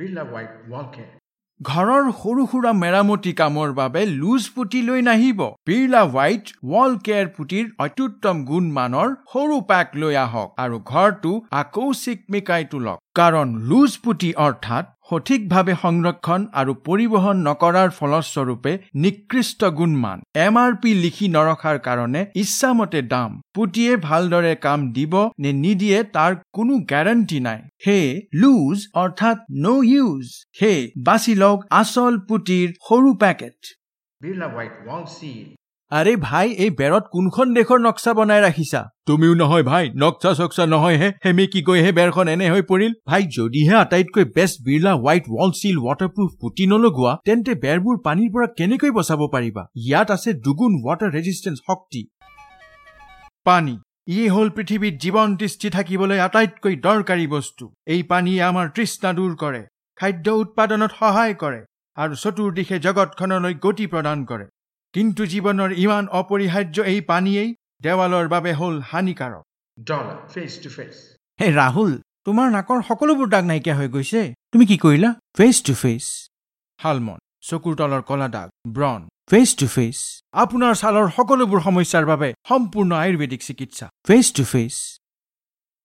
Birla White Wall Care. ঘৰৰ সৰু সুৰা মেৰামতি কামৰ বাবে লুজ পুটি লৈ নাহিব। বিৰলা হোৱাইট ৱাল কেয়াৰ পুটিৰ অত্যুত্তম গুণমানৰ সৰু পেক লৈ আহক আৰু ঘৰটো আকৌ চিকমিকাই তোলক। কাৰণ লুজ পুটি অৰ্থাৎ সঠিকভাৱে সংৰক্ষণ আৰু পৰিবহণ নকৰাৰ ফলস্বৰূপে নিকৃষ্ট গুণমান, MRP লিখি নৰখাৰ কাৰণে ইচ্ছামতে দাম, পুটিয়ে ভালদৰে কাম দিব নে নিদিয়ে তাৰ কোনো গেৰাণ্টি নাই। সেয়ে লুজ অৰ্থাৎ ন' ইউজ। সেয়ে বাছি লওক আচল পুটিৰ সৰু packet. Birla White Wall Seal. আৰে ভাই, এই বেৰত কোনখন দেশৰ নক্সা বনাই ৰাখিছা? তুমিও নহয় ভাই, নক্সা চক্সা নহয়হে, সেমেকি গৈহে বেৰখন এনে হৈ পৰিল। ভাই, যদিহে আটাইতকৈ best Birla White Wall Seal waterproof putty নলগোৱা, তেন্তে বেৰবোৰ পানীৰ পৰা কেনেকৈ বচাব পাৰিবা? ইয়াত আছে দুগুণ ৱাটাৰ ৰেজিষ্টেঞ্চ শক্তি। পানী ই হ'ল পৃথিৱীত জীৱন তিষ্ঠি থাকিবলৈ আটাইতকৈ দৰকাৰী বস্তু। এই পানীয়ে আমাৰ তৃষ্ণা দূৰ কৰে, খাদ্য উৎপাদনত সহায় কৰে আৰু চতুৰ্দিশে জগতখনলৈ গতি প্ৰদান কৰে। কিন্তু জীৱনৰ ইমান অপৰিহাৰ্য এই পানীয়েই দেৱালৰ বাবে হ'ল হানিকাৰক। Dollar Face to Face. হে ৰাহুল, তোমাৰ নাকৰ সকলোবোৰ দাগ নাইকিয়া হৈ গৈছে। তুমি কি কৰিলা? Face to face. শালমন, চকুৰ তলৰ কলা দাগ, ব্ৰণ, ফেচ টু ফেচ। আপোনাৰ ছালৰ সকলোবোৰ সমস্যাৰ বাবে সম্পূৰ্ণ আয়ুৰ্বেদিক চিকিৎসা, ফেচ টু ফেচ।